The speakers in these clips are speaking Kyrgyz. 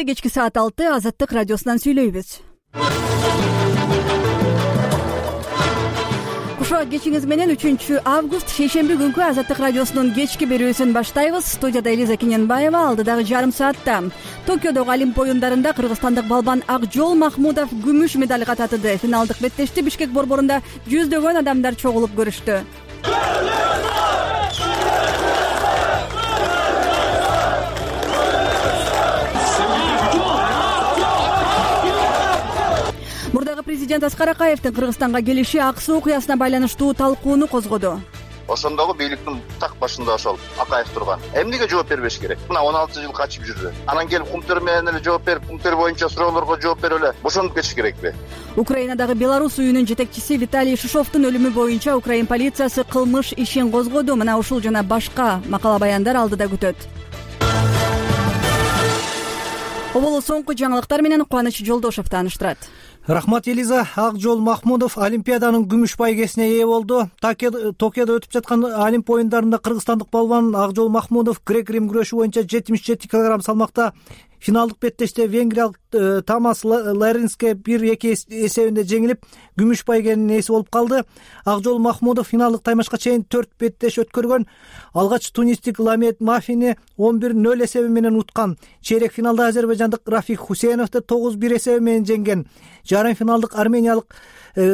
Кечки саат 6 Азаттык радиосунан сүйлөйбүз. Кушо кечиңиз менен 3 август шейшемби күнкү Азаттык радиосунун кечки берүүсүн баштайбыз. Студияда Элиза Кененбаева. Алдыдагы жарым саатта Токиодогу Олимп оюндарында кыргызстандык балбан Акжол Махмудов күмүш медальга татыды. Финалдык беттешти Бишкек борборунда жүздөгөн адамдар чогулуп көрүштү. Мурдагы президент Аскар Акаевдин Кыргызстанга келиши Ак Суу окуясына байланыштуу талкууну козгоду. Ошондогу бийликтин так башында ошол Акаев турган. Эмнеге жооп бербеш керек? Мына 16 жыл качып жүрдү. Анан келип кумтөр менен эле жооп берип, кумтөр боюнча суроолорго жооп берип эле бошонуп кетиш керекпи? Украинадагы Беларусь уюнун жетекчиси Виталий Шишовдун өлүмү боюнча Украин полициясы кылмыш ишин козгоду. Мына ушул жана башка макала баяндар алдыда күтөт. Оболу соңку жаңылыктар менен Кубаныч Жолдошев тааныштырат. Рахмат, Элиза. Акжол Махмудов Олимпиаданын күмүш байгесине ээ болду. Токиодо өтүп жаткан Олимп оюндарында кыргызстандык балбан Акжол Махмудов грек-рим күрөшү боюнча 77 кг салмакта финалдык беттеште венгриялык Томас Ларинске 1-2 эсебинде жеңилип, күмүш байгенин ээси болуп калды. Акжол Махмудов финалдык таймашка чейин 4 беттеш өткөргөн. Алгач тунистик Ламет Мафини 11-0 эсеби менен уткан. Чейрек финалда азербайжандык Рафик Хусейновду 9-1 эсеби менен жеңген. Жарым финалдык армениялык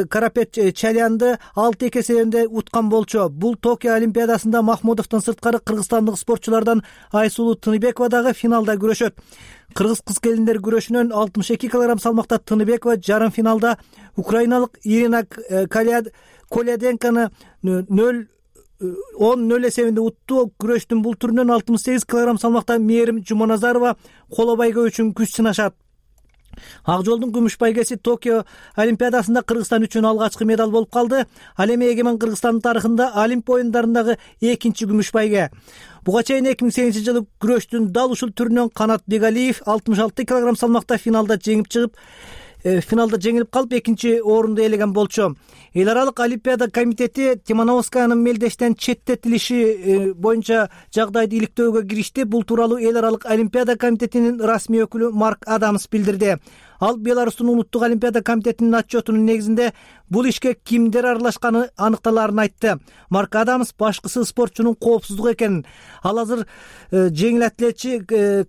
Карапет Чалянды 6-2 эсебинде уткан болчу. Бул Токио Олимпиадасында Махмудовдун сырткары кыргызстандык спортчулардан Айсулуу Тыныбекова дагы финалда күрөшөт. Кыргыз кыз-келиндер күрөшүнөн 62 кг салмакта Тыныбекова жарым финалда украиналык Ирина Коляденканы 10-0 эсебинде утту. Күрөштүн бул түрүнөн 68 кг салмакта Мээрим Жуманазарова коло байгөө үчүн күч сынашат. Акжолдун күмүш байгеси Токио Олимпиадасында Кыргызстан үчүн алгачкы медаль болуп калды. Ал эми эгемен Кыргызстандын тарыхында Олимп оюндарындагы экинчи күмүш байге. Буга чейин 2008 жылы күрөштүн дал ушул түрүнөн Канат Бегалиев 66 кг салмакта финалда жеңилип калып, экинчи орунду ээлеген болчу. Эл аралык Олимпиада комитети Тимановскаянын мелдештен четтетилиши боюнча жагдайды иликтөөгө киришти. Бул тууралуу эл аралык Олимпиада комитетинин расмий өкүлү Марк Адамс билдирди. Ал Беларустун улуттук Олимпиада комитетинин отчетунун негизинде бул ишке кимдер аралашканы аныкталаарын айтты. Марк Адамс башкысы спортчунун коопсуздугу экенин, ал азыр жеңил атлетчи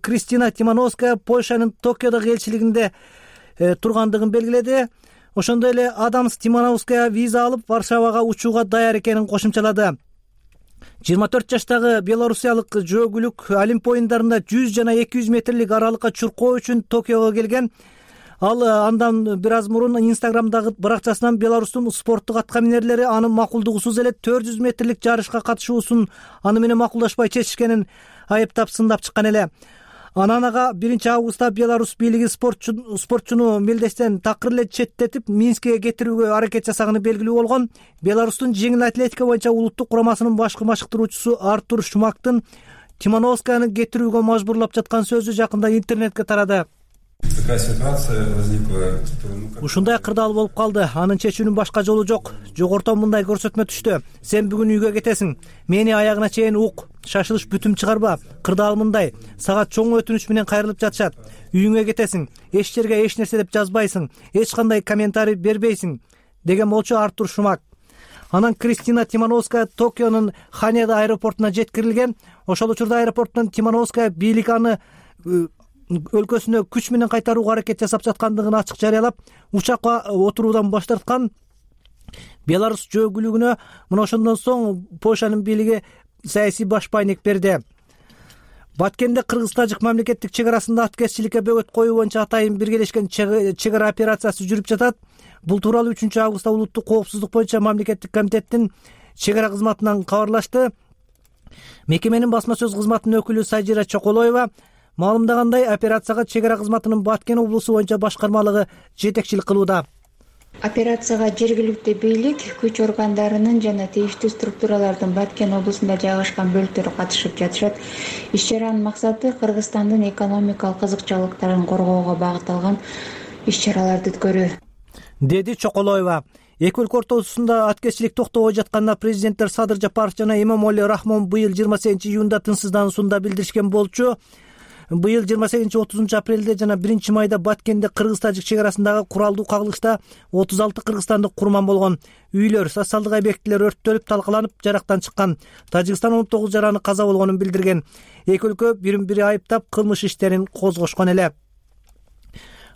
Кристина Тимановская Польшанын Токиодогу элчилигинде тургандыгын белгиледи. Ошондой эле Адамс Тимановская виза алып Варшавага учууга даяр экенин кошумчалады. 24 жаштагы белорусиялык жөөгүлүк Олимп оюндарында 100 жана 200 метрлик аралыкка чуркоо үчүн Токиого келген. Ал андан бир аз мурун Инстаграмдагы баракчасынан Беларустун спорттук аткаминерлери анын макулдугусуз эле 400 метрлик жарышка катышуусун аны менен макулдашпай чечишкенин айыптап сындап чыккан эле. Анан ага 1 августта Беларусь бийлиги спортчуну мелдештен такыр эле четтетип Минскке кетирүүгө аракет жасаганы белгилүү болгон. Беларустун жеңил атлетика боюнча улуттук курамасынын башкы машыктыруучусу Артур Шумактын Тимановскаяны кетирүүгө мажбурлап жаткан сөзү жакында интернетке тарады. Ушундай кырдаал болуп калды. Анын чечүүнүн башка жолу жок. Жогорто мындай көрсөтмө түштү. Сен бүгүн үйгө кетесиң. Мени аягына чейин ук. Шашылыш бүтүм чыгарба. Кырдаал мындай. Сага чоң өтүнүч менен кайрылып жатышат. Үйүңө кетесиң. Эч жерге эч нерсе деп жазбайсың. Эч кандай комментарий бербейсиң, деген болчу Артур Шумак. Анан Кристина Тимановская Токионун Ханеда аэропортуна жеткирилген. Ошол учурда аэропорттон Тимановская бийлик аны өлкөсүнө күч менен кайтарууга аракет жасап жаткандыгын ачык жарыялап, учакка отуруудан баш тарткан. Беларусь жөөгүлүгүнө мына ошондон соң Польшанын бийлиги саясий баш байнек берди. Баткенде кыргыз-тажик мамлекеттик чек арасында аткезчиликке бөгөт коюу боюнча атайын биргелешкен чек ара операциясы жүрүп жатат. Бул тууралуу 3 августта улуттук коопсуздук боюнча мамлекеттик комитеттин чек ара кызматынан кабарлашты. Мекеменин басма сөз кызматынын өкүлү Сажира Чоколоева маалымдагандай, операцияга чек ара кызматынын Баткен облусу боюнча башкармалыгы жетекчилик кылууда. Операцияга жергиликтүү бийлик, күч органдарынын жана тийиштүү структуралардын Баткен облусунда жайгашкан бөлүктөрү катышып жатышат. Иш-чаранын максаты Кыргызстандын экономикалык кызыкчылыктарын коргоого багытталган иш-чараларды өткөрүү, деди Чоколоева. Эки өлкө ортосунда аткезчилик токтобой жатканда президенттер Садыр Жапаров жана Эмомали Рахмон быйыл 28 июнда тынчсыздануусунда билдиришкен болчу. быйыл 28-30 апрелде жана 1 майда Баткенде кыргыз-тажик чек арасындагы куралдуу кагылышта 36 кыргызстандык курман болгон. Үйлөр, социалдык объектилер өрттөлүп, талкаланып, жарактан чыккан. Тажикстан 19 жараны каза болгонун билдирген. Эки өлкө бири айыптап кылмыш иштерин козгошкон эле.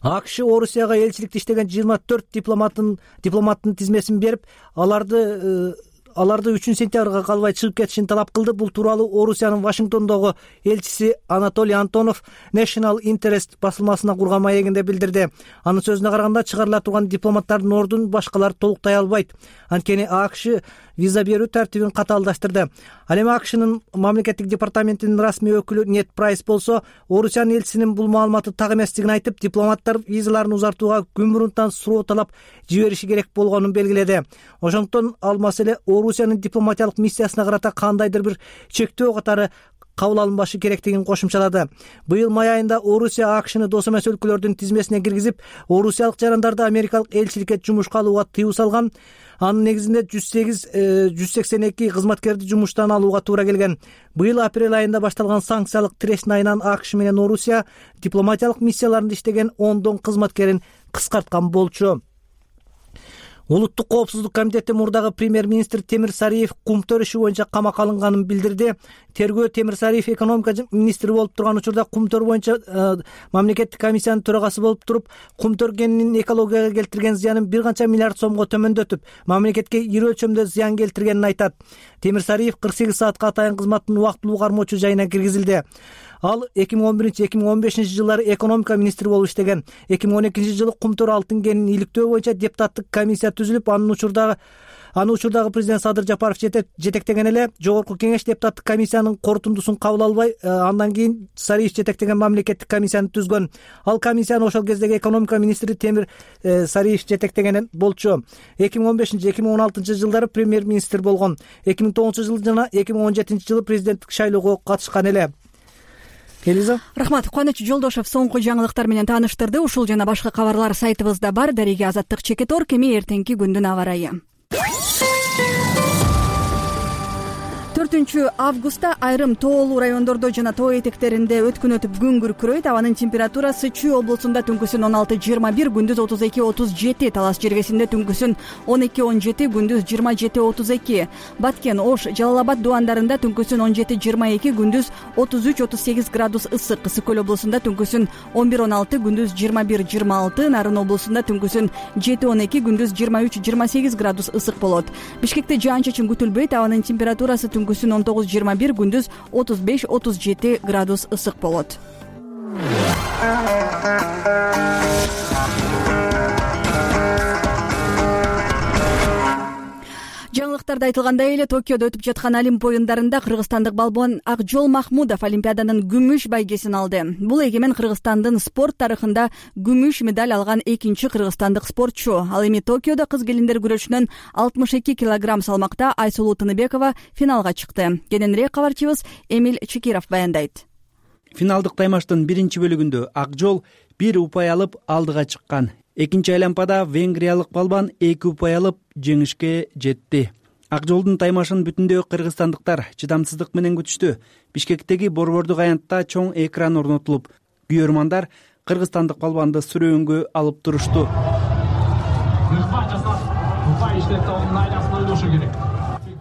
АКШ Орусияга элчиликте иштеген 24 дипломаттын тизмесин берип, аларды 3-сентябрга калбай чыгып кетишин талап кылды. Бул тууралуу Орусиянын Вашингтондогу элчиси Анатолий Антонов National Interest басылмасына курган маегинде билдирди. Анын сөзүнө караганда, чыгарыла турган дипломаттардын ордун башкалар толуктай албайт. Анткени АКШ виза берүү тартибин катаалдаштырды. Ал эми АКШнын мамлекеттик департаментинин расмий өкүлү Нет Прайс болсо, Орусиянын элчисинин бул маалыматы так эместигин айтып, дипломаттар визаларын узартууга күн мурунтан суроо талап жибериши керек болгонун белгиледи. Ошондуктан ал маселе Орусиянын дипломатиялык миссиясына карата кандайдыр бир чектөө катары кабыл алынбашы керектигин кошумчалады. Быйыл май айында Орусия АКШны дос эмес өлкөлөрдүн тизмесине киргизип, орусиялык жарандарды америкалык элчиликке жумушка алууга тыюу салган. Анын негизинде 182 кызматкерди жумуштан алууга туура келген. Быйыл апрель айында башталган санкциялык тирешин айынан АКШ менен Орусия дипломатиялык миссияларында иштеген 10 кызматкерин кыскарткан болчу. Улуттук коопсуздук комитети мурдагы премьер-министр Темир Сариев кумтөр иши боюнча камакка алынганын билдирди. Тергөө Темир Сариев экономика министри болуп турган учурда кумтөр боюнча мамлекеттик комиссиянын төрагасы болуп туруп, кумтөр кенинин экологияга келтирген зыянын бир канча миллиард сомго төмөндөтүп, мамлекетке ири өлчөмдө зыян келтиргенин айтат. Темир Сариев 48 саатка атайын кызматтын убактылуу кармоочу жайына киргизилди. Ал 2011-2015 жылдары экономика министри болуп иштеген. 2012 жылы кумтөр алтын кенин иликтөө боюнча депутаттык комиссия түзүлүп, аны учурдагы президент Садыр Жапаров жетектеген эле. Жогорку кеңеш депутаттык комиссиянын корутундусун кабыл албай, андан кийин Сариев жетектеген мамлекеттик комиссияны түзгөн. Ал комиссияны ошол кездеги экономика министри Темир Сариев жетектеген болчу. 2015-2016 жылдары премьер-министр болгон. 2009 жылы жана 2017 жылы президенттик шайлоого катышкан эле. Элиза. Рахмат. Кубаныч Жолдошев соңку жаңылыктар менен тааныштырды. Ушул жана башка кабарлар сайтыбызда бар. Дарига Азаттык Чекетор. Кеми эртеңки күндүн аба ырайы. 4 августта айрым тоолуу райондордо жана тоо этектеринде өткүн өтүп күн күркүрөйт. Абанын температурасы Чүй облусунда түнкүсүн 16-21, күндүз 32-37, Талас жергесинде түнкүсүн 12-17, күндүз 27-32. Баткен, Ош, Жалал Абад дубандарында түнкүсүн 17-22, күндүз 33-38 градус ысык. Ысык көл облусунда түнкүсүн 11-16, күндүз 21-26, Нарын облусунда түнкүсүн 7-12, күндүз 23-28 градус ысык болот. Бишкекте жаан-чачын күтүлбөйт. Абанын температурасы түнкүсүн 19-21, күндүз 35-37 градус ысык болот. Жаңылыктарда айтылгандай эле, Токиодо өтүп жаткан Олимп оюндарында кыргызстандык балбон Акжол Махмудов Олимпиаданын күмүш байгесин алды. Бул эгемен Кыргызстандын спорт тарыхында күмүш медаль алган экинчи кыргызстандык спортчу. Ал эми Токиодо кыз келиндер күрөшүнөн 62 килограмм салмакта Айсулуу Тыныбекова финалга чыкты. Кененирээк кабарчыбыз Эмиль Чекиров баяндайт. Финалдык таймаштын биринчи бөлүгүндө Акжол 1 упай алып алдыга чыккан. Экинчи айланпада венгриялык балбан 2 упай алып жеңишке жетти. Акжолдун таймашын бүтүндөй кыргызстандыктар чыдамсыздык менен күтүштү. Бишкектеги борбордук аянтта чоң экран орнотулуп, күйөрмандар кыргызстандык балбанды сүрөөнгө алып турушту.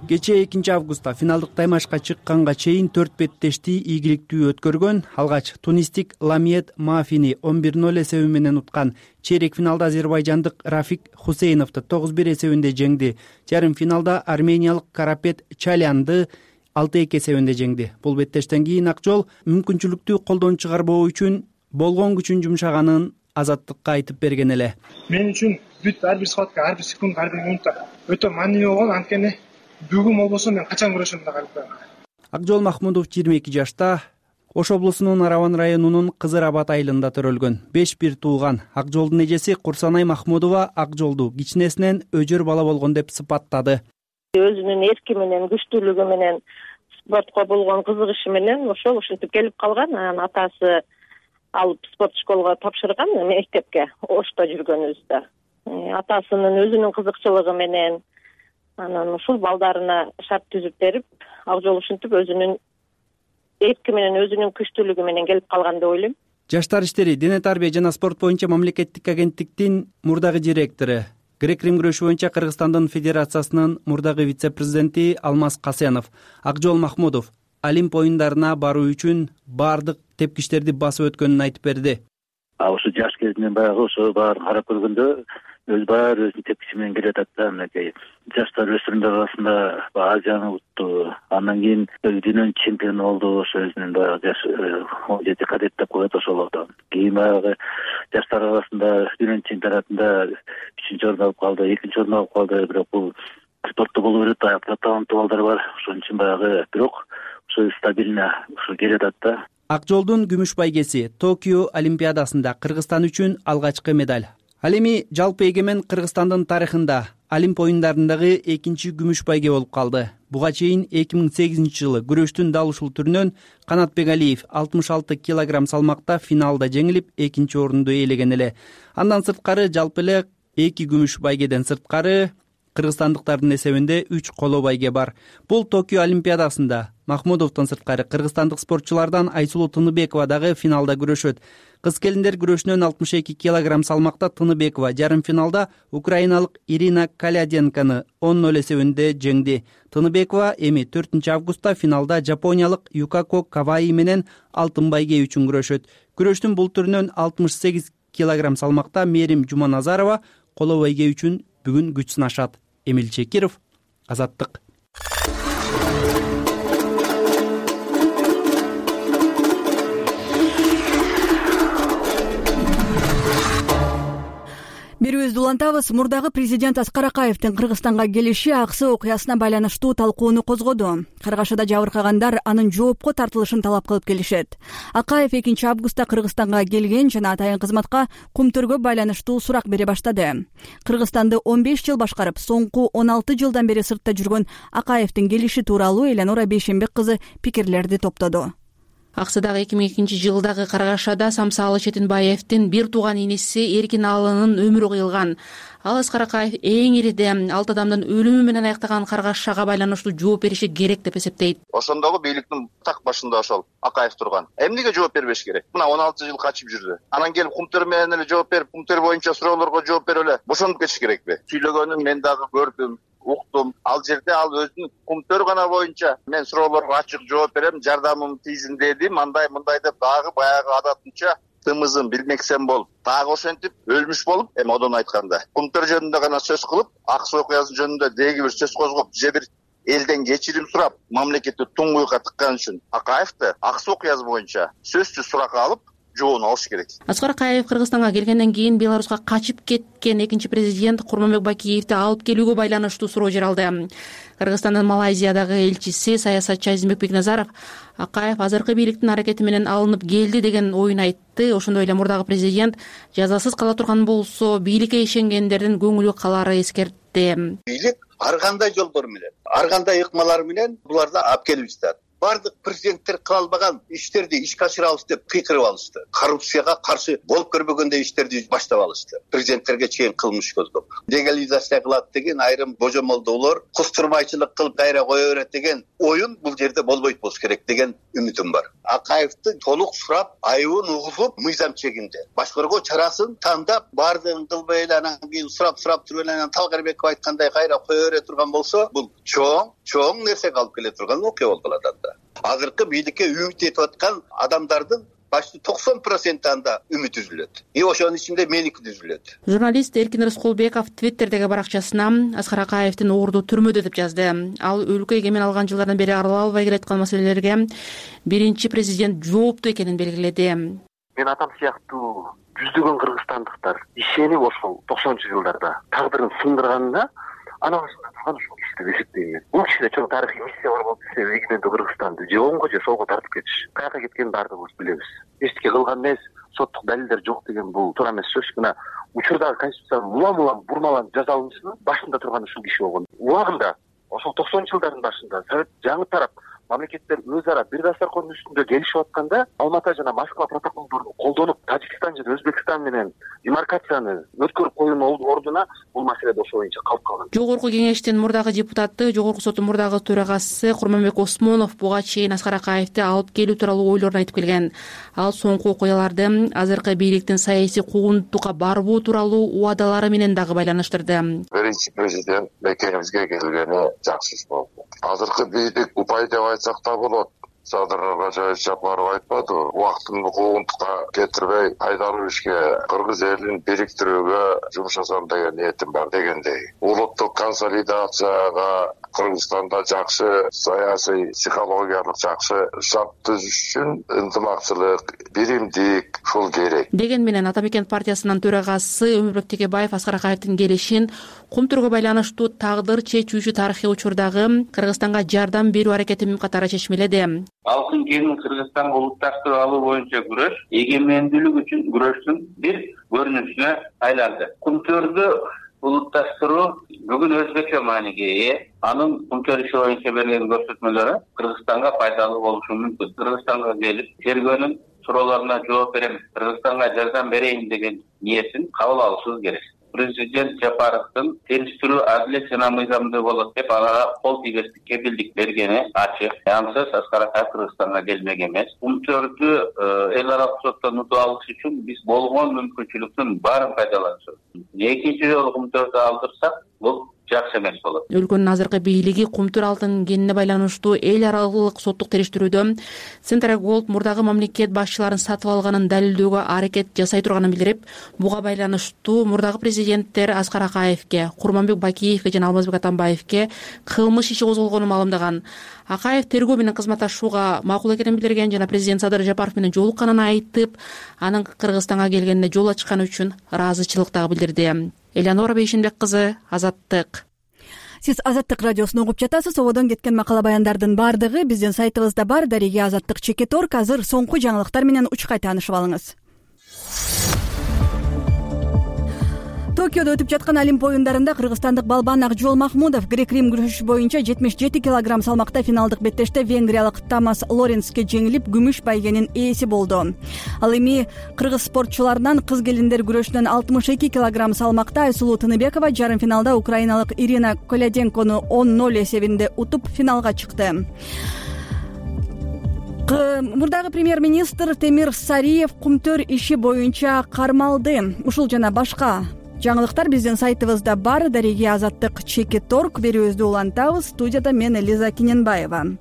Кечээ 2 августта финалдык таймашка чыкканга чейин 4 беттешти ийгиликтүү өткөргөн. Алгач тунистик Ламиет Мафини 11-0 эсеби менен уткан. Чейрек финалда азербайжандык Рафик Хусейновду 9-1 эсебинде жеңди. Жарым финалда армениялык Карапет Чалянды 6-2 эсебинде жеңди. Бул беттештен кийин Акжол мүмкүнчүлүктү колдон чыгарбоо үчүн болгон күчүн жумшаганын Азаттыкка айтып берген эле. Мен үчүн бүт ар бир саатка, ар бир секунд, ар бир минутта өтө маанилүү болгон. Анткени бүгүн болбосо мен качан күрөшөм деп калып калдым. Акжол Махмудов 22 жашта, Ош облусунун Араван районунун Кызыр Абад айылында төрөлгөн. 5-1 туулган. Акжолдун эжеси Курсанай Махмудова Акжолду кичинесинен өжөр бала болгон деп сыпаттады. Өзүнүн эрки менен, күчтүүлүгү менен, спортко болгон кызыгышы менен ушинтип келип калган. Анан атасы алып спорт школага тапшырган, мектепке Ошто жүргөнүбүздө. Атасынын өзүнүн кызыкчылыгы менен анан ушул балдарына шарт түзүп берип, Акжол ушинтип өзүнүн эрки менен өзүнүн күчтүүлүгү менен келип калган деп ойлойм. Жаштар иштери, дене тарбия жана спорт боюнча мамлекеттик агенттиктин мурдагы директору, грек-рим күрөшү боюнча Кыргызстандын федерациясынын мурдагы вице-президенти Алмаз Касенов Акжол Махмудов Олимп оюндарына баруу үчүн баардык тепкичтерди басып өткөнүн айтып берди. Ошо жаш кезинен баягы ошо баарын карап көргөндө баары өзүнүн тепкичи менен келатат да. Мынакей жаштар өспүрүмдөр арасында Азияны утту, андан кийин дүйнөнүн чемпиону болду. Ошо өзүнүн баягы жаш 17 кадет деп коет ошолордон. Кийин баягы жаштар арасында дүйнөнүн чемпионатында 3-чү орун алып калды, 2-чи орун алып калды. Бирок бул спортто боло берет, аякта таланттуу балдар бар. Ошон үчүн баягы бирок ошо стабильно ошо келатат да. Акжолдун күмүш байгеси Токио Олимпиадасында Кыргызстан үчүн алгачкы медаль. Ал эми жалпы эгемен Кыргызстандын тарыхында Олимп оюндарындагы экинчи күмүш байге болуп калды. Буга чейин 2008-жылы күрөштүн дал ушул түрүнөн Канатбек Алиев 66 килограмм салмакта финалда жеңилип, экинчи орунду ээлеген эле. Андан сырткары жалпы эле 2 күмүш байгеден сырткары кыргызстандыктардын эсебинде 3 коло байге бар. Бул Токио Олимпиадасында Махмудовдон сырткары кыргызстандык спортчулардан Айсулуу Тыныбекова дагы финалда күрөшөт. Кыз келиндер күрөшүнөн 62 килограмм салмакта Тыныбекова жарым финалда украиналык Ирина Каляденканы 10-0 эсебинде жеңди. Тыныбекова эми 4-августта финалда жапониялык Юкако Каваи менен алтын байге үчүн күрөшөт. Күрөштүн бул түрүнөн 68 килограмм салмакта Мерим Жуманазарова коло байге үчүн бүгүн күч сынашат. Эмил Чекиров, Азаттык. Берүүбүздү улантабыз. Мурдагы президент Аскар Акаевдин Кыргызстанга келиши Аксы окуясына байланыштуу талкууну козгоду. Каргашада жабыркагандар анын жоопко тартылышын талап кылып келишет. Акаев 2-августта Кыргызстанга келген жана атайын кызматка Кумтөргө байланыштуу сурак бере баштады. Кыргызстанды 15 жыл башкарып, соңку 16 жылдан бери сыртта жүргөн Акаевдин келиши тууралуу Эленора Бейшембек кызы пикирлерди топтоду. Аксыдагы 2002-жылдагы каргашада Самсалы Четинбаевдин бир тууган иниси Эркин Алынын өмүрү кыйылган. Ал Аскар Акаев эң ириде 6 адамдын өлүмү менен аяктаган каргашага байланыштуу жооп бериши керек деп эсептейт. Ошондогу бийликтин так башында ошол Акаев турган. Эмнеге жооп бербеш керек? Мына 16 жыл качып жүрдү. Анан келип Кумтөр менен эле жооп берип, Кумтөр боюнча суроолорго жооп берип эле бошонуп кетиш керекпи? Сүйлөгөнүн мен дагы көрдүм, уктум. Ал жерде ал өзүнүн Кумтөр гана боюнча мен суроолорго ачык жооп берем, жардамым тийсин дедим, андай мындай деп дагы баягы адатынча тымызын билмексен болуп, дагы ошентип өлмүш болуп, эми одон айтканда Кумтөр жөнүндө гана сөз кылып, Аксы окуясы жөнүндө деги бир сөз козгоп, же бир элден кечирим сурап, мамлекетти туңгуйга тыккан үчүн Акаевди Аксы окуясы боюнча сөзсүз суракка алып жообун алыш керек. Аскар Акаев Кыргызстанга келгенден кийин Беларуска качып кеткен экинчи президент Курманбек Бакиевди алып келүүгө байланыштуу суроо жаралды. Кыргызстандын Малайзиядагы элчиси саясатчы Азимбек Бекназаров Акаев азыркы бийликтин аракети менен алынып келди деген оюн айтты. Ошондой эле мурдагы президент жазасыз кала турган болсо бийликке ишенгендердин көңүлү калары эскертти. Бийлик ар кандай жолдор менен, ар кандай ыкмалар менен буларды алып келип жатат. Бардык президенттер кыла албаган иштерди ишке ашырабыз деп кыйкырып алышты. Коррупцияга каршы болуп көрбөгөндөй иштерди баштап алышты. Президенттерге чейин кылмыш көздөп. Легализация кылат деген айрым божомолдоолор, кустурмайчылык кылып кайра кое берет деген оюн бул жерде болбойт болуш керек деген үмүтүм бар. Акаевди толук сурап, айыбын угулуп, мыйзам чегинде башкаруу чарасын тандап, баардыгын кылбай эле анан кийин сурап туруп эле Талгарбеков айткандай кайра кое бере турган болсо, бул чоң нерсеге алып келе турган окуя болуп калат анда. Азыркы бийликке үмүт этип аткан адамдардын почти 90% анда үмүт үзүлөт. Ошонун ичинде меники үзүлөт. Журналист Эркин Рыскулбеков Твиттердеги баракчасына Аскар Акаевдин орду түрмөдө деп жазды. Ал өлкө эгемен алган жылдардан бери арала албай келаткан маселелерге биринчи президент жооптуу экенин белгиледи. Мен атам сыяктуу жүздөгөн кыргызстандыктар ишенип ошол 90-жылдарда тагдырын сындырганына анан турган ушул киши деп эсептейм. Бул кишиде чоң тарыхый миссия бар болуп кетсе, эгемендүү Кыргызстанды же оңго же солго тартып кетиш. Каяка кеткенин баардыгыбыз билебиз. Эчтеке кылган эмес, соттук далилдер жок деген бул туура эмес сөз. Мына учурдагы конституцияны улам бурмаланып жаза алышынын башында турган ушул киши болгон. Убагында ошол 90-жылдардын башында Совет жаңы тарап мамлекеттер өз ара бир дасторкондун үстүндө келишип атканда Алматы жана Москва протоколдорун колдонуп Тажикстан жана Өзбекстан менен демаркацияны өткөрүп коюунун ордуна бул маселе ошо боюнча калып калган. Жогорку кеңештин мурдагы депутаты, Жогорку соттун мурдагы төрагасы Курманбек Осмонов буга чейин Аскар Акаевди алып келүү тууралуу ойлорун айтып келген. Ал соңку окуяларды азыркы бийликтин саясий куугунтукка барбоо тууралуу убадалары менен дагы байланыштырды. Биринчи президент мекенибизге келгени жакшы иш болду. Азыркы бийлик упай деп айтсак да болот. Садыр Ражаевич Жапаров айтпады, убактын куугунтукка кетирбей пайдалуу ишке кыргыз элин бириктирүүгө жумшасам деген ниетим бар дегендей. Улуттук консолидацияга Кыргызстанда жакшы саясий, психологиялык жакшы шарт түзүш үчүн ынтымакчылык, биримдик ушул керек деген менен Ата Мекен партиясынын төрагасы Өмүрбек Текебаев Аскар Акаевдин келишин Кумтүргө байланыштуу тагдыр чечүүчү тарыхый учурдагы Кыргызстанга жардам берүү аракети катары чечмеледи. Алкын кеңин Кыргызстанга улутташтырып алуу боюнча күрөш эгемендүүлүк үчүн күрөштүн бир көрүнүшүнө айланды. Кумтөрдү улутташтыруу бүгүн өзбекче мааниге ээ. Анын Кумтөр иши боюнча берген көрсөтмөлөрү Кыргызстанга пайдалуу болушу мүмкүн. Кыргызстанга келип, тергөөнүн суроолоруна жооп берем, Кыргызстанга жардам берейин деген ниетин кабыл алышыбыз керек. Президент Жапаровдун териштирүү адилет жана мыйзамдуу болот деп ага кол тийгестик кепилдик бергени ачык. Ансыз Аскар Акаев Кыргызстанга келмек эмес. Кумтөрдү эл аралык соттон утуп алыш үчүн биз болгон мүмкүнчүлүктүн баарын пайдаланышыбыз. Экинчи жолу Кумтөрдү алдырсак, бул жакшы эмес болот. Өлкөнүн азыркы бийлиги Кумтөр алтын кенине байланыштуу эл аралык соттук териштирүүдө Центра Голд мурдагы мамлекет башчыларын сатып алганын далилдөөгө аракет жасай турганын билдирип, буга байланыштуу мурдагы президенттер Аскар Акаевге, Курманбек Бакиевге жана Алмазбек Атамбаевге кылмыш иши козголгонун маалымдаган. Акаев тергөө менен кызматташууга макул экенин билдирген жана президент Садыр Жапаров менен жолукканын айтып, анын Кыргызстанга келгенине жол ачканы үчүн ыраазычылык дагы билдирди. Элеонора Бейшенбек кызы, Азаттык. Сиз Азаттык радиосун угуп жатасыз. Ободон кеткен макала баяндардын баардыгы биздин сайтыбызда бар. Дареге Азаттык.org. Азыр соңку жаңылыктар менен учкай таанышып алыңыз. Токиодо өтүп жаткан Олимп оюндарында кыргызстандык балбан Акжол Махмудов грек-рим күрөшү боюнча 77 килограмм салмакта финалдык беттеште венгриялык Томас Лоренске жеңилип, күмүш байгенин ээси болду. Ал эми кыргыз спортчуларынан кыз келиндер күрөшүнөн 62 килограмм салмакта Айсулуу Тыныбекова жарым финалда украиналык Ирина Коляденкону 10-0 эсебинде утуп финалга чыкты. Мурдагы премьер-министр Темир Сариев Кумтөр иши боюнча кармалды. Ушул жана башка жаңылыктар биздин сайтыбызда бар. Дареге Азаттык.org. Берүүбүздү улантабыз. Студияда мен Элиза Киненбаева.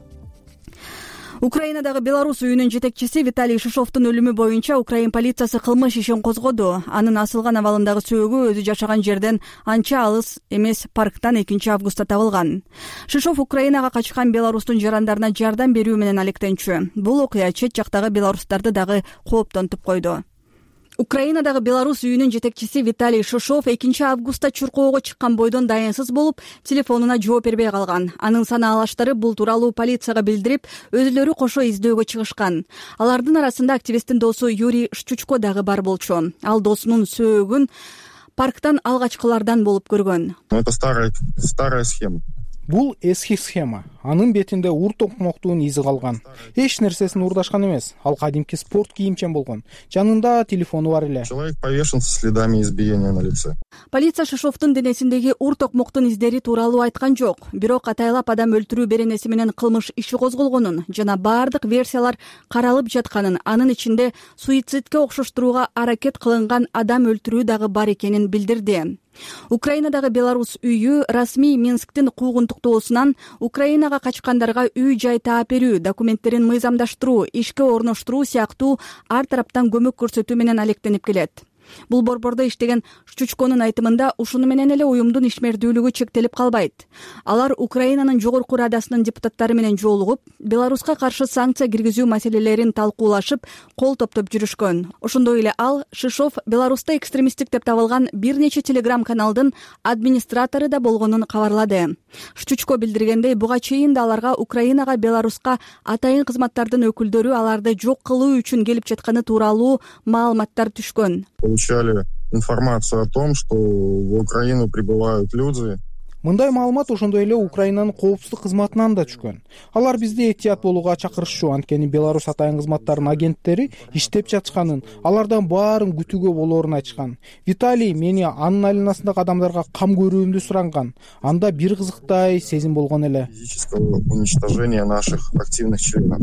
Украинадагы Беларусь үйүнүн жетекчиси Виталий Шишовдун өлүмү боюнча Украин полициясы кылмыш ишин козгоду. Анын асылган абалындагы сөөгү өзү жашаган жерден анча алыс эмес парктан 2 августта табылган. Шишов Украинага качкан Беларустун жарандарына жардам берүү менен алектенчү. Бул окуя чет жактагы беларустарды дагы кооптонтуп койду. Украинадагы Беларусь үйүнүн жетекчиси Виталий Шишов 2 августта чуркоого чыккан бойдон дайынсыз болуп, телефонуна жооп бербей калган. Анын санаалаштары бул тууралуу полицияга билдирип, өзүлөрү кошо издөөгө чыгышкан. Алардын арасында активисттин досу Юрий Шчучко дагы бар болчу. Ал досунун сөөгүн парктан алгачкылардан болуп көргөн. Это старая схема. Бул эски схема. Анын бетинде ур токмоктун изи калган. Эч нерсесин урдашкан эмес. Ал кадимки спорт кийимчен болгон. Жанында телефону бар эле. Человек повешен со следами избиения на лице. Полиция Шишовдун денесиндеги ур токмоктун издери тууралуу айткан жок. Бирок атайлап адам өлтүрүү беренеси менен кылмыш иши козголгонун жана бардык версиялар каралып жатканын, анын ичинде суицидке окшоштурууга аракет кылынган адам өлтүрүү дагы бар экенин билдирди. Украинадагы Беларусь үйү расмий Минсктин куугунтуктоосунан Украинага качкандарга үй-жай таап берүү, документтерин мыйзамдаштыруу, ишке орноштуруу сыяктуу ар тараптан көмөк көрсөтүү менен алектенип келет. Бул борбордо иштеген Шчучконун айтымында ушуну менен эле уюмдун ишмердүүлүгү чектелип калбайт. Алар Украинанын жогорку радасынын депутаттары менен жолугуп, Беларуска каршы санкция киргизүү маселелерин талкуулашып, кол топтоп жүрүшкөн. Ошондой эле ал Шишов Беларуста экстремисттик деп табылган бир нече телеграм-каналдын администратору да болгонун кабарлады. Шчучко билдиргендей, буга чейин да аларга Украинага Беларуска атайын кызматтардын өкүлдөрү аларды жок кылуу үчүн келип жатканы тууралуу маалыматтар түшкөн. Получали информацию о том, что в Украину прибывают люди. Мындай маалымат ошондой эле Украинанын коопсуздук кызматынан да түшкөн. Алар бизди этият болууга чакырышчу, анткени Беларусь атайын кызматтарынын агенттери иштеп жатышканын, алардан баарын күтүүгө болоорун айтышкан. Виталий мени анын айланасындагы адамдарга кам көрүүмдү суранган. Анда бир кызыктай сезим болгон эле. Физического уничтожения наших активных членов.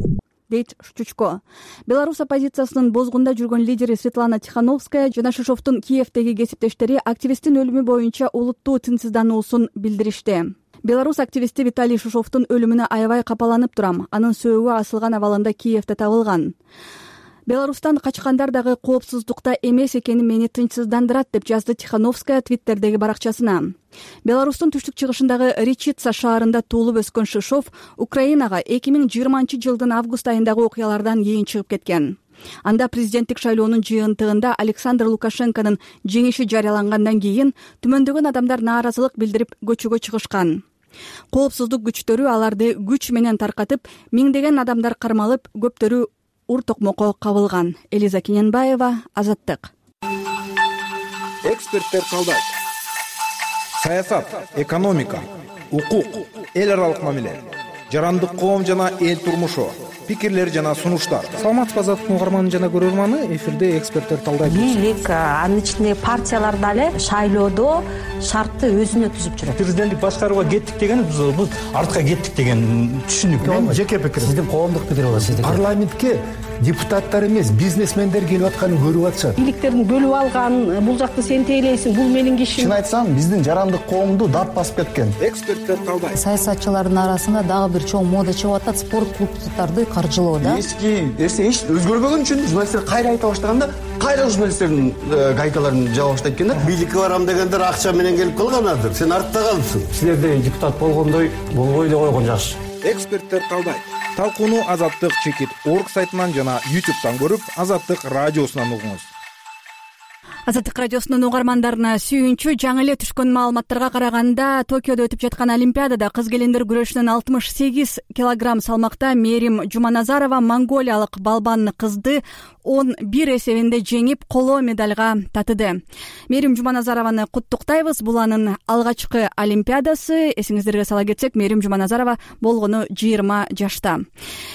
Дейт Штучко. Беларусь оппозициясынын бозгунда жүргөн лидери Светлана Тихановская жана Шишовдун Киевдеги кесиптештери активисттин өлүмү боюнча улуттуу тынчсыздануусун билдиришти. Беларусь активисти Виталий Шишовдун өлүмүнө аябай капаланып турам. Анын сөөгү асылган абалында Киевде табылган. Беларустан качкандар дагы коопсуздукта эмес экени мени тынчсыздандырат деп жазды Тихановская Твиттердеги баракчасына. Беларустун түштүк чыгышындагы Речица шаарында туулуп өскөн Шишов Украинага 2020-жылдын август айындагы окуялардан кийин чыгып кеткен. Анда президенттик шайлоонун жыйынтыгында Александр Лукашенконун жеңиши жарыялангандан кийин түмөндөгөн адамдар нааразылык билдирип көчөгө чыгышкан. Коопсуздук күчтөрү аларды күч менен таркатып, миңдеген адамдар кармалып, көптөрү ур токмокко кабылган. Элиза Кененбаева, Азаттык. Эксперттер калдайт. Саясат, экономика, укук, эл аралык мамиле, жарандык коом жана эл турмушу, пикирлер жана сунуштар. Саламатсызбы Азаттык угарманы жана көрөрманы, эфирде эксперттер талдайт. Бийлик, анын ичинде партиялар дагы шайлоодо шартты өзүнө түзүп жүрөт. Президенттик башкарууга кеттик деген биз артка кеттик деген түшүнүк. Мен жеке пикирим. Сиздин коомдук пикир болот сиздики. Парламентке депутаттар эмес, бизнесмендер келип атканын көрүп атышат. Бийликтердин бөлүп алган, бул жакты сен тейлейсиң, бул менин кишим. Чын айтсам, биздин жарандык коомду дат басып кеткен. Эксперттер талдайт. Саясатчылардын арасында дагы бир чоң мода чыгып атат, спорт клубдарды каржылоо да. Эч өзгөрбөгөн үчүн журналисттер кайра айта баштаганда, кайра журналисттердин гайкаларын жаба баштайт экен да. Бийликке барам дегендер акча менен келип калган азыр. Сен артта калыпсың. Силерде депутат болгондой болбой эле койгон жакшы. Эксперттер талдайт. Талкууну Азаттык чекит орг сайтынан жана YouTube'дан көрүп, Азаттык радиосунан угуңуз. Азаттык радиосунун угармандарына сүйүнчү. Жаңы эле түшкөн маалыматтарга караганда, Токиодо өтүп жаткан Олимпиадада кыз келиндер күрөшүнөн 68 килограмм салмакта Мерим Жуманазарова монголиялык балбан кызды 11 эсебинде жеңип, коло медальга татыды. Мерим Жуманазарованы куттуктайбыз. Бул анын алгачкы Олимпиадасы. Эсиңиздерге сала кетсек, Мерим Жуманазарова болгону 20 жашта.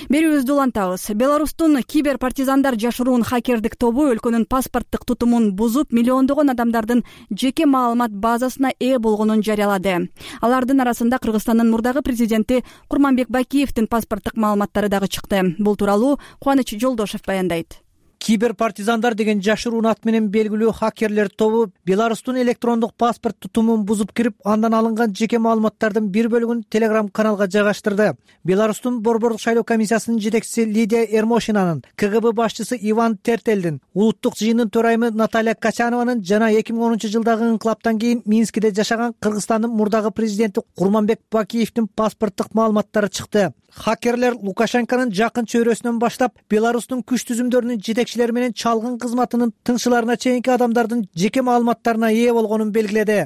Берүүбүздү улантабыз. Беларустун кибер партизандар жашыруун хакердик тобу өлкөнүн паспорттук тутумун бузуп, миллиондогон адамдардын жеке маалымат базасына ээ болгонун жарыялады. Алардын арасында Кыргызстандын мурдагы президенти Курманбек Бакиевдин паспорттук маалыматтары дагы чыкты. Бул тууралуу Кубаныч Жолдошев баяндайт. Кибер партизандар деген жашыруун ат менен белгилүү хакерлер тобу Беларустун электрондук паспорт тутумун бузуп кирип, андан алынган жеке маалыматтардын бир бөлүгүн Telegram каналга жайгаштырды. Беларустун борбордук шайлоо комиссиясынын жетекчиси Лидия Эрмошинанын, КГБ башчысы Иван Тертелдин, улуттук жыйындын төрайымы Наталья Качанованын жана 2010-жылдагы инкылаптан кийин Минскиде жашаган Кыргызстандын мурдагы президенти Курманбек Бакиевдин паспорттук маалыматтары чыкты. Хакерлер Лукашенконун жакын чөйрөсүнөн баштап, Беларустун күч түзүмдөрүнүн жетекчилери менен чалгын кызматынын тыңчыларына чейинки адамдардын жеке маалыматтарына ээ болгонун белгиледи.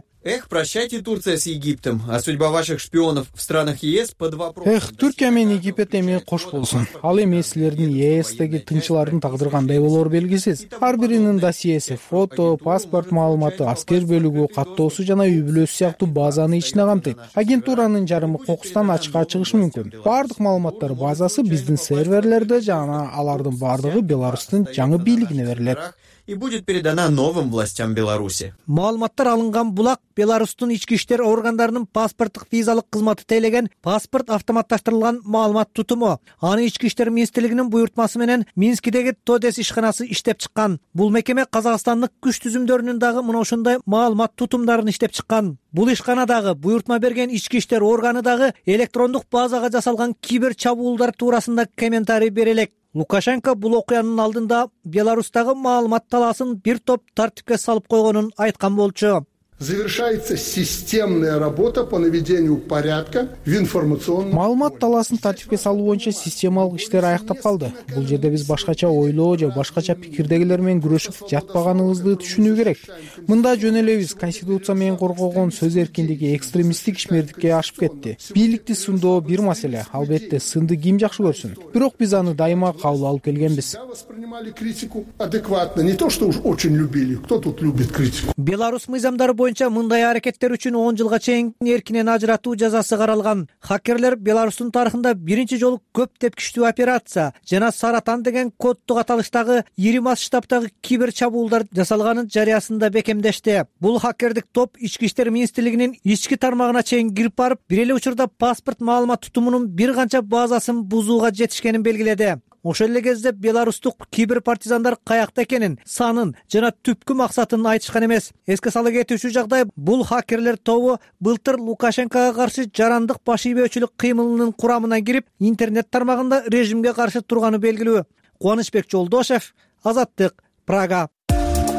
Прощайте, Турция с Египтом, а судьба ваших шпионов в странах ЕС под вопросом. Түркия менен Египет эми кош болсун. Ал эми силердин ЕСтеги тынчылардын тагдыры кандай болоор белгисиз. Ар биринин досьеси, фото, паспорт маалыматы, аскер бөлүгү, каттоосу жана үй бүлөсү сыяктуу базаны ичине камтыйт. Агентуранын жарымы кокустан ачыкка чыгышы мүмкүн. Бардык маалыматтар базасы биздин серверлерде жана алардын бардыгы Беларустун жаңы бийлигине берилет. И будет передана новым властям Беларуси. Маалыматтар алынган булак Беларустун ички иштер органдарынын паспорттук визалык кызматы тейлеген паспорт автоматташтырылган маалымат тутуму. Аны ички иштер министрлигинин буйртмасы менен Минскидеги Тодес ишканасы иштеп чыккан. Бул мекеме Казакстандык күч түзүмдөрүнүн дагы мына ошондой маалымат тутумдарын иштеп чыккан. Бул ишканадагы буйртма берген ички иштер органы дагы электрондук базага жасалган кибер чабуулдар туурасында комментарий бере элек. Лукашенко бул окуянын алдында Беларустагы маалымат талаасын бир топ тартипке салып койгонун айткан болчу. Завершается системная работа по наведению порядка в информационном. Маалымат талаасын тартипке салуу боюнча системалык иштер аяктап калды. Бул жерде биз башкача ойлоо же башкача пикирдегилер менен күрөшүп жатпаганыбызды түшүнүү керек. Мында жөн эле биз конституция менен коргогон сөз эркиндиги экстремисттик ишмердикке ашып кетти. Бийликти сындоо бир маселе, албетте сынды ким жакшы көрсүн. Бирок биз аны дайыма кабыл алып келгенбиз. Воспринимали критику адекватно, не то что уж очень любили. Кто тут любит критику? Беларус мыйзамдары боюнча мындай аракеттер үчүн 10 жылга чейин эркинен ажыратуу жазасы каралган. Хакерлер Беларустун тарыхында биринчи жолу көп тепкичтүү операция жана Саратан деген коддук аталыштагы ири масштабтагы кибер чабуулдар жасалганын жарыясында бекемдешти. Бул хакердик топ Ички иштер министрлигинин ички тармагына чейин кирип барып, бир эле учурда паспорт маалымат тутумунун бир канча базасын бузууга жетишкенин белгиледи. Ошол эле кезде беларустук кибер партизандар каякта экенин, санын жана түпкү максатын айтышкан эмес. Эске сала кетүүчү жагдай, бул хакерлер тобу былтыр Лукашенкого каршы жарандык баш ийбөөчүлүк кыймылынын курамына кирип, интернет тармагында режимге каршы турганы белгилүү. Кубанычбек Жолдошев, Азаттык, Прага.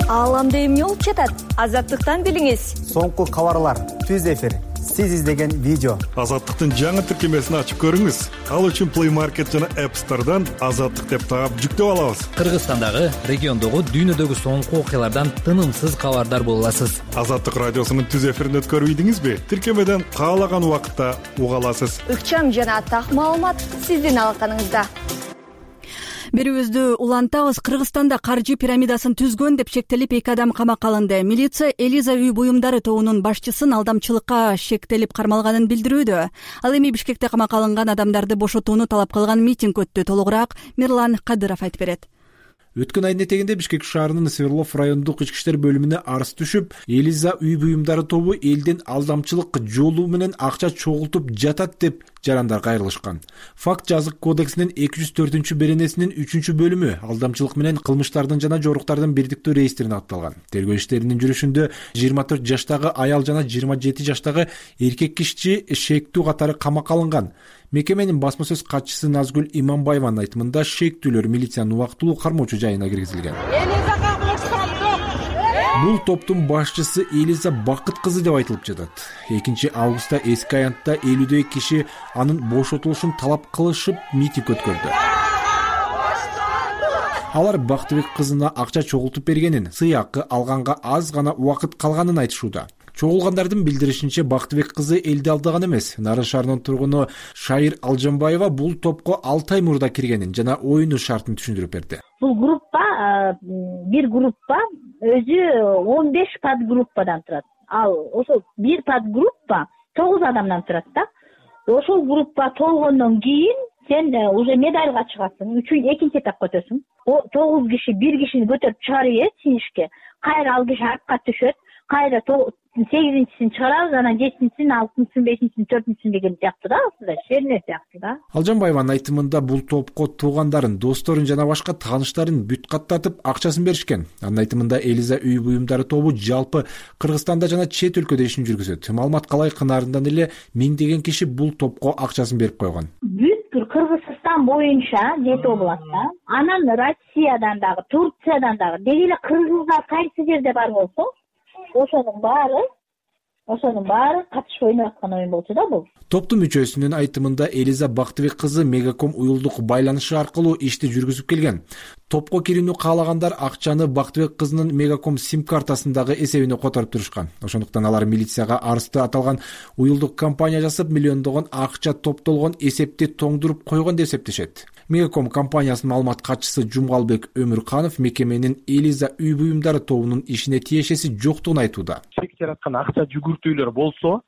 Ааламда эмне болуп жатат? Азаттыктан билиңиз. Соңку кабарлар, түз эфир, сиз издеген видео. Азаттыктын жаңы тиркемесин ачып көрүңүз. Ал үчүн Play Market жана App Store'дан Азаттык деп таап жүктөп алабыз. Кыргызстандагы, региондогу, дүйнөдөгү соңку окуялардан тынымсыз кабардар боло аласыз. Азаттык радиосунун түз эфирин өткөрүп ийдиңизби? Тиркемеден каалаган убакытта уга аласыз. Ыкчам жана так маалымат сиздин алаканыңызда. Берүүбүздү улантабыз. Кыргызстанда каржы пирамидасын түзгөн деп шектелип 2 адам камакка алынды. Милиция Элиза үй буюмдары тобунун башчысын алдамчылыкка шектелип кармалганын билдирүүдө. Ал эми Бишкекте камакка алынган адамдарды бошотууну талап кылган митинг өттү. Толугураак Мирлан Кадыров айтып берет. Өткөн айдын этегинде Бишкек шаарынын Сверлов райондук ички иштер бөлүмүнө арыз түшүп, Элиза үй буюмдары тобу элден алдамчылык жолу менен акча чогултуп жатат деп жарандар кайрылышкан. Факт жазык кодексинин 204-беренесинин 3-бөлүмү алдамчылык менен кылмыштардын жана жоруктардын бирдиктүү реестрине атталган. Тергөө иштеринин жүрүшүндө 24 жаштагы аял жана 27 жаштагы эркек киши шектүү катары камакка алынган. Мекеменин басма сөз катчысы Назгүл Иманбаеванын айтымында шектүүлөр милициянын убактылуу кармоочу жайына киргизилген. Бул топтун башчысы Элиза Бакыт кызы деп айтылып жатат. 2 августта эски аянтта 50 киши анын бошотулушун талап кылышып митинг өткөрдү. Алар Бактыбек кызына акча чогултуп бергенин, сыйакы алганга аз гана убакыт калганын айтышууда. Чогулгандардын билдиришинче Бактыбек кызы элди алдаган эмес. Нарын шаарынын тургуну Шайыр Алжанбаева бул топко 6 ай мурда киргенин жана оюну шартын түшүндүрүп берди. Бул бир группа өзү 15 подгруппадан турат. Ал ошол бир подгруппа 9 адамдан турат да. Ошол группа толгондон кийин сен уже медальга чыгасың, экинчи этапка өтөсүң. 9 киши бир кишини көтөрүп чыгарып синишке. Кайра ал киши артка түшөт. Кайра 8-син чыгарабыз, анан 7-син, 6-син, 5-син, 4-син деген сыяктуу да, ушундай шерне сыяктуу да. Алжанбаеванын айтымында бул топко туугандарын, досторун жана башка тааныштарын бүт каттатып акчасын беришкен. Анын айтымында Элиза үй буюмдары тобу жалпы Кыргызстанда жана чет өлкөдө ишин жүргүзөт. Маалымат калай кынаарынан эле миңдеген киши бул топко акчасын берип койгон. Бүткүл Кыргызстан боюнча 7 областта, анан Россиядан дагы, Турциядан дагы, деги эле кыргыздар кайсы жерде бар болсо, ошонун баары катышып ойноп аткан оюн болчу да бул. Топтун мүчөсүнүн айтымында Элиза Бактыбек кызы Мегаком уюлдук байланышы аркылуу ишти жүргүзүп келген. Топко кирүүнү каалагандар акчаны Бактыбек кызынын Мегаком сим картасындагы эсебине которуп турушкан. Ошондуктан алар милицияга арызды аталган уюлдук компания жасап, миллиондогон акча топтолгон эсепти тоңдуруп койгон деп эсептешет. Мегаком компаниясынын маалымат катчысы Жумгалбек Өмүрканов мекеменин Элиза үй буюмдары тобунун ишине тиешеси жоктугун айтууда. Чек жараткан акча жүгүртүүлөр болсо,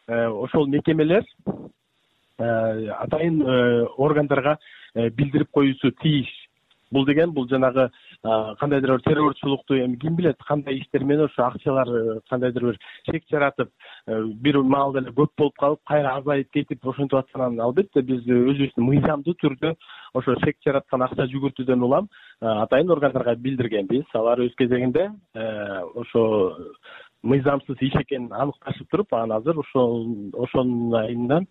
ошол мекемелер атайын органдарга билдирип коюусу тийиш. Бул деген бул жанагы кандайдыр бир террорчулукту эми ким билет, кандай иштер менен ошо акчалар кандайдыр бир чек жаратып, бир маалда эле көп болуп калып, кайра азайып кетип ошентип атканын албетте биз өзүбүздүн мыйзамдуу түрдө ошо чек жараткан акча жүгүртүүдөн улам атайын органдарга билдиргенбиз. Алар өз кезегинде ошо мыйзамсыз иш экенин аныкташып туруп, анан азыр ошонун айынан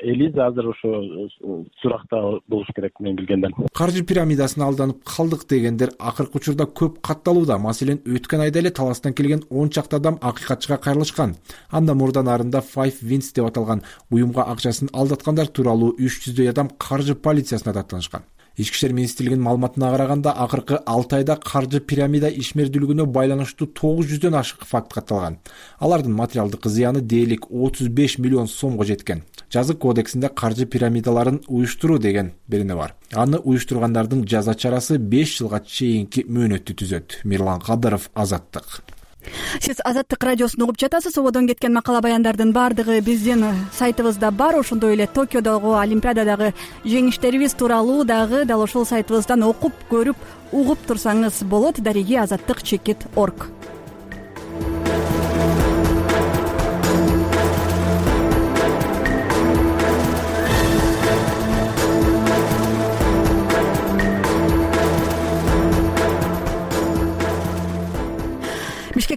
Элиза азыр ошо суракта болуш керек мен билгенден. Каржы пирамидасына алданып калдык дегендер акыркы учурда көп катталууда. Маселен, өткөн айда эле Таластан келген 10 чакты адам акыйкатчыга кайрылышкан. Анда мурда нарында Five Wins деп аталган уюмга акчасын алдаткандар тууралуу 300 адам каржы полициясына даттанышкан. Ички иштер министрлигинин маалыматына караганда, акыркы 6 айда каржы пирамида ишмердүүлүгүнө байланыштуу 900дөн ашык факт катталган. Алардын материалдык зыяны дээрлик 35 миллион сомго жеткен. Жазык кодексинде каржы пирамидаларын уюштуруу деген берене бар. Аны уюштургандардын жаза чарасы 5 жылга чейинки мөөнөттү түзөт. Мирлан Кадыров, Азаттык. Сиз Азаттык радиосун угуп жатасыз. Ободон кеткен макала баяндардын баардыгы биздин сайтыбызда бар. Ошондой эле Токиодогу Олимпиададагы жеңиштерибиз тууралуу дагы дал ошол сайтыбыздан окуп көрүп угуп турсаңыз болот. Дареги Азаттык /org